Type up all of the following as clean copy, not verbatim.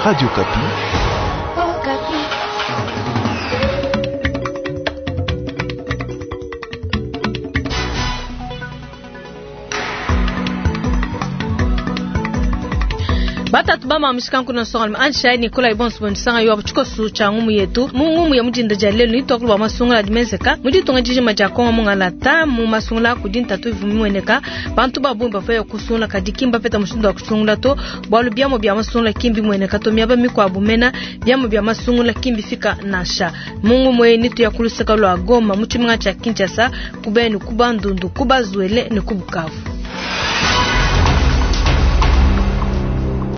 Radio Okapi. Batatu ba mishikanku na songa ansha Nicolas Ibonso bonisanga yo tshikosu tsha ngumu yetu mu ngumu ya mudinda dia lelu ni twakulu ba masungula dimezeka mudi tunga dijima dia Kongo mungalata mu masungula kudi ntatu ivua mimueneka bantu ba bungi bavua kusungula kadi kimba peta mushindu wa kusungula to bualu biamu bia masungula kimbi mueneka to miaba mikuabu mena biamu bia masungula kimbi fika nansha mu ngumu eyi ni tuya kuluseka lua Goma mu tshimenga tshia Kinshasa ku Beni ku Bandundu ku Bazuele ne ku Bukavu.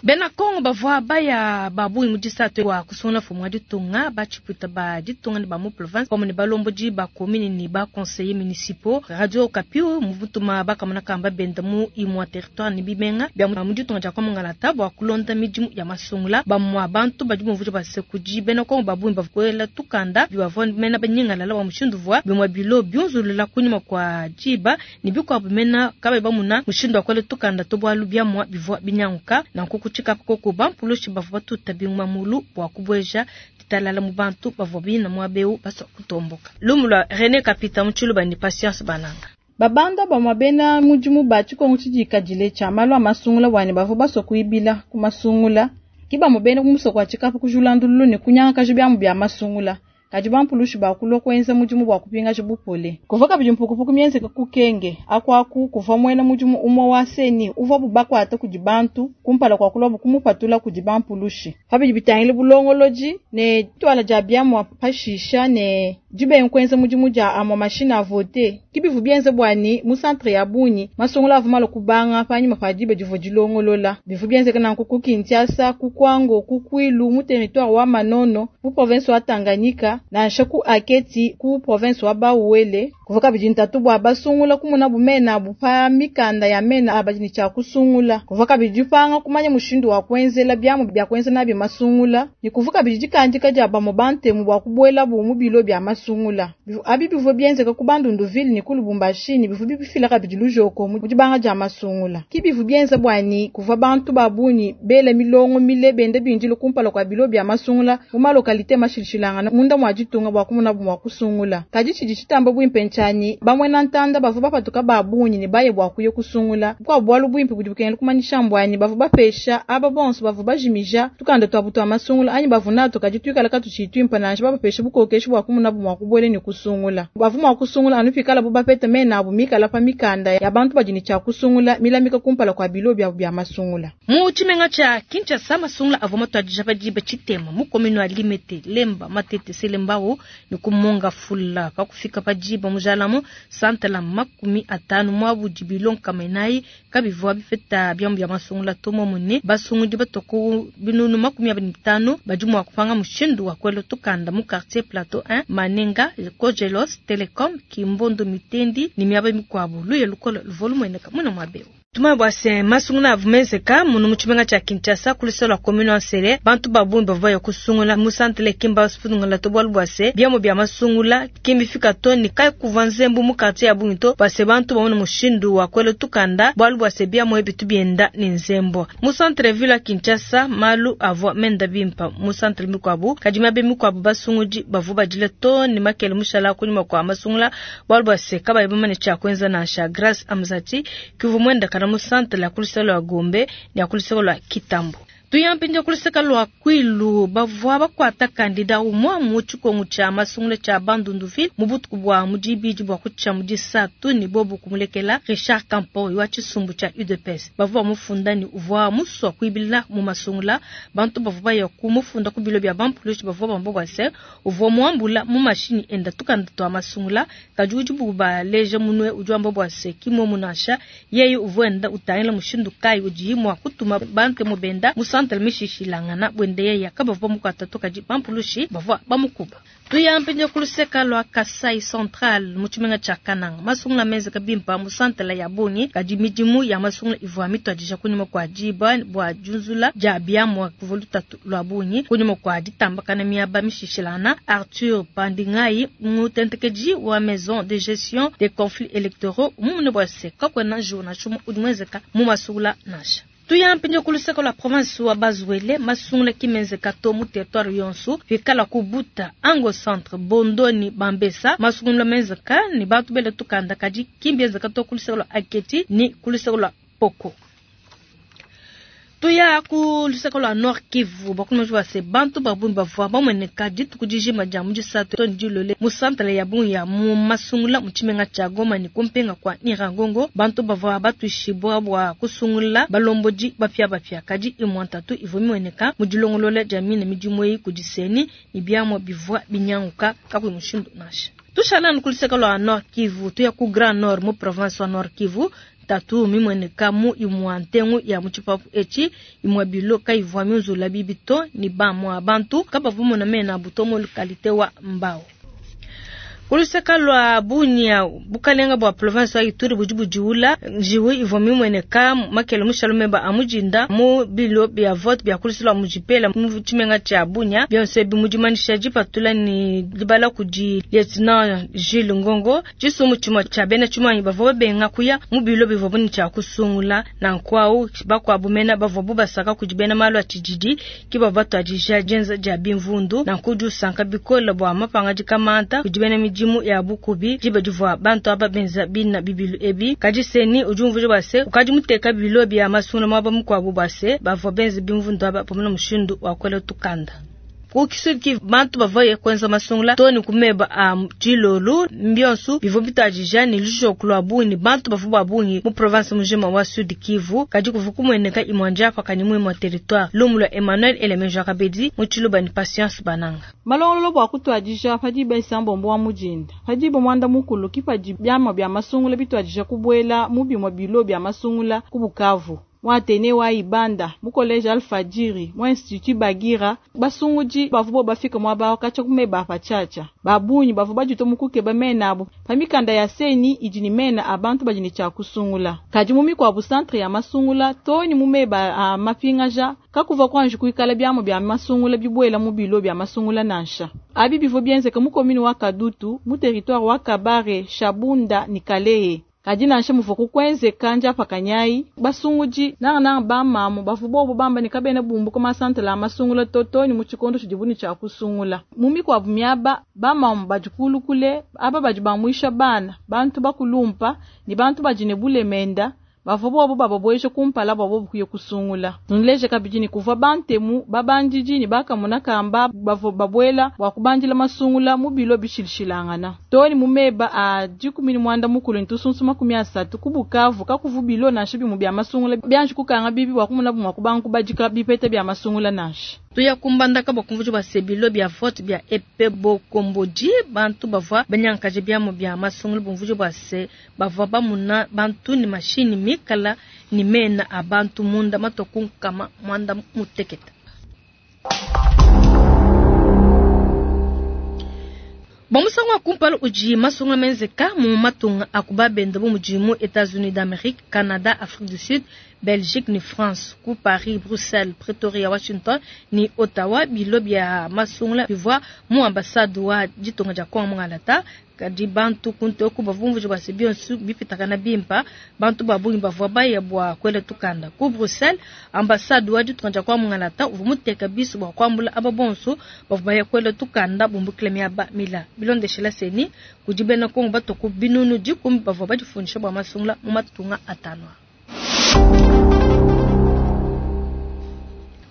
Bena Kongo bavua baya ba bungi mu disatu wa kusungula mfumu wa ditunga, ba tshipuita ba ditunga ne ba mu province pamue ne balombodi ba commune ne ba conseillers municipaux. Radio Okapi muvutuma bakamona kamba benda mu imua territoire ne bimenga bia mu ditunga dia Kongo bua kulonda midimu ya masungula. Bamua bantu badi bumvuija bua se kudi bena Kongo ba bungi bavua kuela tukanda bivua mena banyingalala bua mushindu uvua bimue bilo biunzulula kunyima kua diba ne bikuabu mena kabayi bamuna mushindu wa kuela tukanda to bualu biamua bivua binyanguka. Nanku ku tshikapu koko bampulushi bavua batuta binguma mulu bua kubueja ditalala mu bantu bavua bina muaba eu basua kutomboka. Lumu lua Rene Kapita mu Tshiluba ne Patience Bananga. Babanda bamue bena mudimu ba tshikongu tshidikadile tshia malu a masungula bua ne bavua basua kuibila ku masungula ki bamue bena ku musoko wa tshikapu kujula ndululu ne kunyangakaja biamu bia masungula. Kadi bampulushi bakulua kuenza mudimu bua kupingaja bupole. Kuvua kabidi mpukupuku mienzeka ku Kenge akuaku kuvua muena mudimu umue wa seni uvuabu bakuata kudi bantu kumpala kua kuluabu kumupatula kudi bampulushi. Pa bidi bitangila bulongolodi ne dituala dia biamua pashisha ne dibenga kuenza mudimu dia amue mashine a vote ki bivua bienza bua ne mu centre ya bungi masungula avua malua kubanga panyima pa diba divua dilongolola. Bivua bienzeka nanku ku Kinshasa, ku Kwango, ku Kwilu mu territoire wa Manono mu province wa Tanganyika nansha ku Aketi ku province wa Bas-Uele. Kuvua kabidi ntatu bua basungula kumonabu mena abu pa mikanda ya mena a badi ne tshia kusungula. Kuvua kabidi dipanga kumanya mushindu wa kuenzela biamu bia kuenza nabi masungula ne kuvua kabidi dikandika dia bamue bantemu bua kubuelabu mu bilo bia masungula. Abi bivua bienzeka ku Bandundu-ville ne ku Lubumbashi ne bivua bifila kabidi lujoko mu dibanga dia masungula. Ki bivua bienza bua ne kuvua bantu ba bungi bela milongo mile benda bindile kumpala kua bilo bia masungula mu malokalite mashilashilangana munda mua ditunga bua kumonabu mua kusungula. Kadi tshidi tshitamba buimpe ntshianyi bamuena ntanda bavua bapatuka ba bungi ne baye bua kuya kusungula. Bukuabu bualu buimpe budi bukengela kumanyisha mbuanyi bavua bapesha aba bonso bavua bajimija tukanda tuabu tua masungula anyi bavua natu kadi tuikala katutshiyi tuimpe nansha babapesha bukokeshi bua kumonabu mua kubuela ne kusungula. Bavua mua kusungula anu pikalabu bapete mena abu mikala pa mikanda ya bantu badi ne tshia kusungula milamika kumpala kua bilo biabu bia masungula. Mu tshimenga tshia Kinshasa masungula avua matuadija pa diba tshitema mu commune wa Limete, Lemba, Matete, Selembao ne ku Mont-Ngafula. Pa kufika pa diba mujalamu santala 50 muabu dibilo nkama inayi kabivua bipeta biamu bia masungula to muomumue ne basungudi batua ku binunu 25 badi mua kupanga mushindu wa kuela tukanda mu quartier Plateau 1, Manenga, Kojelos, Telecom, Kimbondo, Mitendi ne miaba mikuabu. Luya lukole luvua lumueneka muna muaba eu. Tumanye bua se masungula avua menzeka munu mu tshimenga tshia Kinshasa ku luseke lua commune wa Nsele. Bantu ba bungi bavua baya kusungula mu centre kimba basungula to bualu bua se biamu bia masungula kimbifika to ne kai kuvua nzembu mu quartier ya bungi to bua se bantu bamone mushindu wa kuela tukanda bualu bua se biamu ebi bitu bienda ne nzembu. Mu centre ville ya Kinshasa malu avua menda bimpa mu centre mikuabu, kadi miaba mikuabu basungudi bavua badila to ne makele mushala kunyima kua masungula bualu bua se kabayi bamanye tshia kuenza nansha. Grace Amzati kivua muenda kana mu centre ya ku luseke lua Gombe ne ya ku luseke lua Kitambo. Tuya mpindieu ku luseke lua Kwilu bavua bakuata kandida umue mu tshikongu tshia masungula tshia Bandundu-ville mu butuku bua mu dibidi bua kutshia mu disatu ne bobu kumulekela. Richard Kampoy wa tshisumbu tshia UDPS bavua bamufunda ne uvua musua kuibila mu masungula. Bantu bavua baya kumufunda ku bilo bia bampulushi bavua bamba bua se uvua muambula mu mashinyi enda tukanda tua masungula, kadi udibu baleja munue udi wamba bua se ki muomu nansha. Yeye uvua enda utangila mushindu kayi udiye mua kutuma bantemu benda mu centre mishishilangana buende yeye kabavua bamukuata to, kadi bampulushi bavua bamukuba. Tuya mpindieu ku luseke lua Kasai Central mu tshimenga tshia Kananga. Masungula menzeka bimpa mu centre ya bungi, kadi midimu ya masungula ivua mituadija kunyima kua diba bua diunzula dia biamua kuvua lutatu lua bungi kunyima kua ditambakana miaba mishishilangana. Arthur Pandingai mutentekedi wa maison de gestion des conflits électoraux mumune bua se kakuena njiwu nansha umue udi muenzeka mu masungula nansha. Tuya mpindieu ku luseke lua province wa Bas-Uele, masungula ki menzeka to mu territoire yonso pikala ku Buta, Ango Centre, Bondo ne Bambesa. Masungula menzeka ne bantu bela tukanda kadi ki mbienzeka to ku luseke lua Aketi ne ku luseke lua Poko. Tuya ku luseke lua Nord Kivu, bakumiji bua se bantu ba bungi bavua bamueneka dituku dijima dia mu disatu to ne dilole mu santala ya bungi ya mu masungula mu tshimenga tshia Goma ne kumpenga kua Nyiragongo. Bantu bavua batuishibua bua kusungula balombodi bapiabapia, kadi imue ntatu ivua mimueneka mu dilongolola dia mine midimu eyi kudi CENI ne biamua bivua binyanguka kakuyi mushindu nansha. Tushala anu ku luseke lua Nord Kivu, tuya ku Grand Nord mu province wa Nord Kivu. Ntatu mimueneka mu imua ntengu ya mu tshipapu etshi, imua bilo kayivua miunzula bibi to, ne bamua bantu kabavua bamona mena abu to mu lokalite wa Mbau. Ku luseke lua Bunia, bukalenga bua province wa Ituri budi budiula njiwu ivua mimueneka makele mushale meba a mudinda mu bilo bia vote bia ku luseke lua Mujipela mu tshimenga tshia Bunia. Bionso ebi mu dimanyisha dipatula ne dibala kudi Lieutenant Jules Ngongo. Tshisumbu tshimue tshia bena tshimuangi bavua babenga kuya mu bilo bivuabu ne tshia kusungula. Nanku au, bakuabu mena bavuabu basaka kudi bena malu a tshididi ke bavua batuadija dienza dia bimvundu. Nanku udi usanka bikole bua mapangadika manta kudi bena midimu ya bukubi diba divua bantu aba benza bina bibilu ebi. Kadi CENI udi umvuija bua se, ukadi muteka bilo bia masungula muaba mukuabu bua se, bavua benza bimvundu aba bamone mushindu wa kuela tukanda. Ku Sud-Kivu, bantu bavua kuenza masungula too ne ku meba a dilolu. Mbionsu bivua bituadija ne lujoku lua bungi ne bantu bavua ba bungi mu province mujima wa Sud-Kivu, kadi kuvua kumueneka imue ndiapakanyi mu imue territoire. Lumu lua Emmanuel Elemeja Kabedi mu Tshiluba ne Patience Bananga. Malongolola bua kutuadija pa diba isambombo wa mu dinda, pa diba muanda mukulu ke padi biamua bia masungula bituadija kubuela mu bimue bilo bia masungula ku Bukavu, mu Athenee wa Ibanda, mu College Alfajiri, mu Institut Bagira. Basungudi bavua bobu bafika muaba awu katshia ku meba a patshiatshia. Ba bungi bavua baditua mu kukeba mena abu pa mikanda ya CENI idi ne mena a bantu badi ne tshia kusungula. Kadi mu mikuabu santre ya masungula, too ne mu meba a mapingaja, kakuvua kuanji kuikala biamu bia masungula bibuela mu bilo bia masungula nansha. Abi bivua bienzeka mu commune wa Kadutu, mu territoire wa Kabare, Shabunda ne Kalehe. Kadi nansha muvua kukuenzeka ndiapakanyayi, basungudi, nangananga bamamu, bavua bobu bamba ne kabena bumbuka masantela a masungula to too ne mu tshikondo tshidibu ne tshia kusungula. Mu mikuabu miaba, bamamu badi kulu kule, aba badi bamuisha bana, bantu bakulumpa, ne bantu badi ne bulemenda, bavua bobu bababueje kumpala bua bobu kuya kusungula. Nuleje kabidi ne kuvua bantemu, babandidi ne bakamona kamba bavua babuela bua kubandila masungula mu bilo bishilshilangana. Too ne mu meba a 13 ne tusunsu 30 ku Bukavu, kakuvua bilo nansha bimue bia masungula bianji kukanga bibi bua kumonabu mua kubanga kubadika bipeta bia masungula nansha. Tuya kumbandaka bua kumvuija bua se bilo bia vote bia EP Bokombodi, bantu bavua banyankaje biamu bia masungula bumvuija bua se bavua bamuna bantu ne mashini mikala ne mena a bantu munda matua ku nkama muanda mutekete. Bua musangu wa kumpala udi masungula menzeka mu matunga a ku babende bu mudi mu Etats-Unis d'Amerique, Canada, Afrique du Sud, Belgique ne France, ku Paris, Bruxelles, Pretoria, Washington ne Ottawa, bilo bia masungula bivua mu ambassade wa ditunga dia Congo mungalata. Kadi bantu kuntu eku bavua bumvuija bua se bionso bipitakana bimpa, bantu ba bungi bavua baya bua kuela tukanda. Ku Bruxelles, ambassade wa ditunga dia Congo mungalata uvua muteka bisu bua kuambula aba bonso bavua baya kuela tukanda bumbukila miaba mila. Bilondeshela CENI, kudi bena Congo batua ku binunu 10 bavua badifundisha bua masungula mu matunga atanu.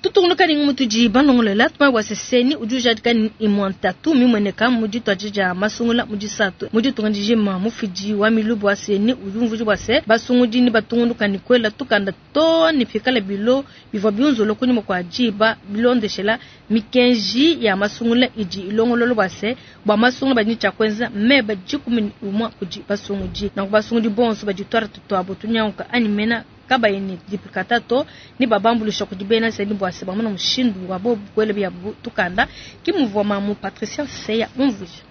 Tutungunuka ne ngumu tudi balongolola tumanye bua se CENI udi ujadika ne imue ntatu mimueneka mu dituadija dia masungula mu disatu mu ditunga dijima. Mufidi wa milubu wa CENI udi umvuija bua se basungudi ne batungunuka ne kuela tukanda too ne pikala bilo bivua biunzula kunyima kua diba bilondeshela mikenji ya masungula idi ilongolola bua se bua masungula badi ne tshia kuenza meba 11 kudi basungudi. Nanku basungudi bonso badi twara tutuabu tunyanguka anyi mena kabayi ne duplicata to ne babambulisha kudi bena CENI bua se bamona mushindu wa bobu kuela biabu tukanda. Ke muvua mamu Patricia Seya umvuija.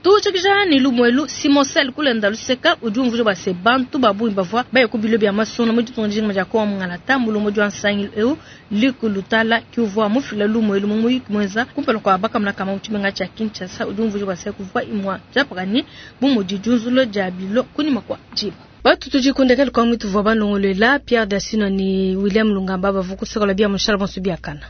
Tushikija ne lumuelu Simon Sel kulenda luseka udi umvuija bua se bantu ba bungi bavua baye ku bilo bia masungula mu ditunga dijima dia Congo mungalata. Mulongo wa nsangilu eu Luc Lutala ki uvua mufila lumuelu mu muyuki muenza kumpala kua bakamona kama mu tshimenga tshia Kinshasa. Udi umvuija bua se kuvua imue diapakanyi bu mudi diunzula dia bilo kunyima kua diba. Batu tudi kundekela kwa mwitu vwa balongolwela Pierre Dasino ni William Lungamba bavukusokola bia mushala bonso biakana.